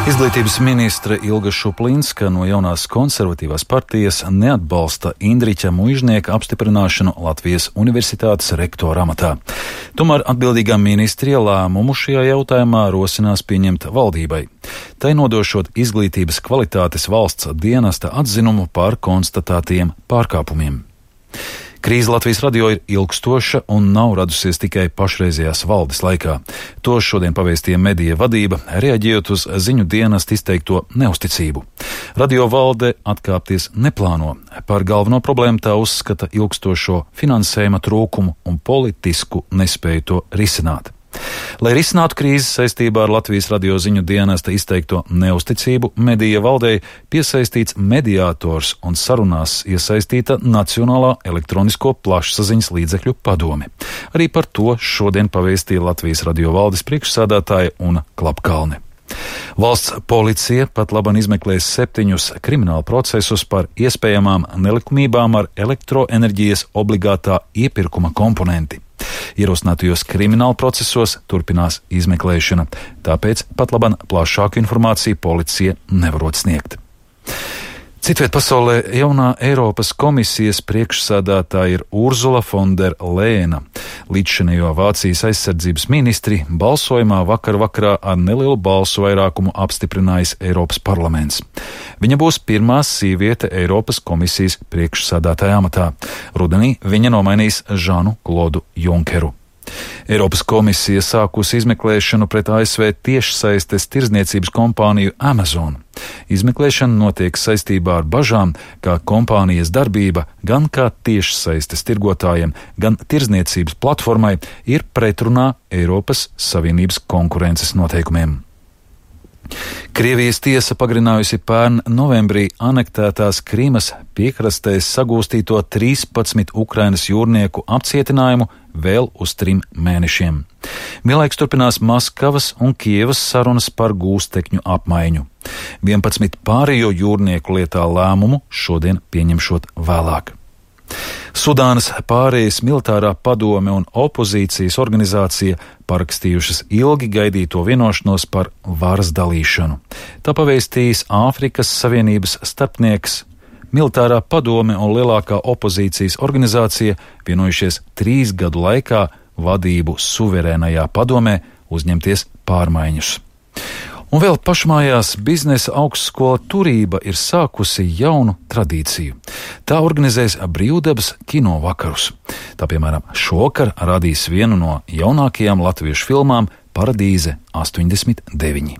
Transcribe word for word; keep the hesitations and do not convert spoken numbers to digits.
Izglītības ministre Ilga Šuplinska no jaunās konservatīvās partijas neatbalsta Indriķa Muižnieka apstiprināšanu Latvijas Universitātes rektora amatā. Tomēr atbildīgā ministrija lēmumu šajā jautājumā rosinās pieņemt valdībai. Tai nodošot izglītības kvalitātes valsts dienesta atzinumu par konstatētiem pārkāpumiem. Krīze Latvijas radio ir ilgstoša un nav radusies tikai pašreizējās valdes laikā. To šodien pavēstīja medija vadība, reaģējot uz ziņu dienestu izteikto neusticību. Radio valde atkāpties neplāno. Par galveno problēmu tā uzskata ilgstošo finansējuma trūkumu un politisku nespēju to risināt. Lai risinātu krīzes saistībā ar Latvijas radio ziņu dienesta izteikto neusticību, medija valdei piesaistīts mediātors un sarunās iesaistīta Nacionālā elektronisko plašsaziņas līdzekļu padome. Arī par to šodien pavēstīja Latvijas radio valdes priekšsēdētāja Una Klapkalne. Valsts policija pat labam izmeklēs septiņus kriminālu procesus par iespējamām nelikumībām ar elektroenerģijas obligātā iepirkuma komponenti. Ierosinātajos kriminālu procesos turpinās izmeklēšana, tāpēc pat labam plašāku informāciju policija nevarot sniegt. Citviet pasaulē jaunā Eiropas komisijas priekšsēdētāja ir Urzula von der Leyena. Līdzšinējo Vācijas aizsardzības ministri balsojumā vakar vakarā ar nelielu balsu vairākumu apstiprinājis Eiropas parlaments. Viņa būs pirmā sieviete Eiropas komisijas priekšsēdētāja amatā. Rudenī viņa nomainīs Žanu Klodu Junkeru. Eiropas komisija sākusi izmeklēšanu pret A S V tiešsaistes tirdzniecības kompāniju Amazon. Izmeklēšana notiek saistībā ar bažām, ka kompānijas darbība gan kā tiešsaistes tirgotājiem, gan tirdzniecības platformai ir pretrunā Eiropas Savienības konkurences noteikumiem. Krievijas tiesa pagarinājusi pērn novembrī anektētās Krimas piekrastēs sagūstīto trīspadsmit Ukrainas jūrnieku apcietinājumu vēl uz trim mēnešiem. Vienlaiks turpinās Maskavas un Kievas sarunas par gūstekņu apmaiņu. vienpadsmit pārējo jūrnieku lietā lēmumu šodien pieņemšot vēlāk. Sudānas pārējas militārā padome un opozīcijas organizācija parakstījušas ilgi gaidīto vienošanos par varas dalīšanu. Tā pavēstījis Āfrikas Savienības starpnieks. Militārā padome un lielākā opozīcijas organizācija vienojušies trīs gadu laikā vadību suverēnajā padomē uzņemties pārmaiņas. Un vēl pašmājās biznesa augstskola Turība ir sākusi jaunu tradīciju. Tā organizēs brīvdabas kino vakarus. Tā, piemēram, šovakar radīs vienu no jaunākajām latviešu filmām Paradīze astoņdesmit deviņi.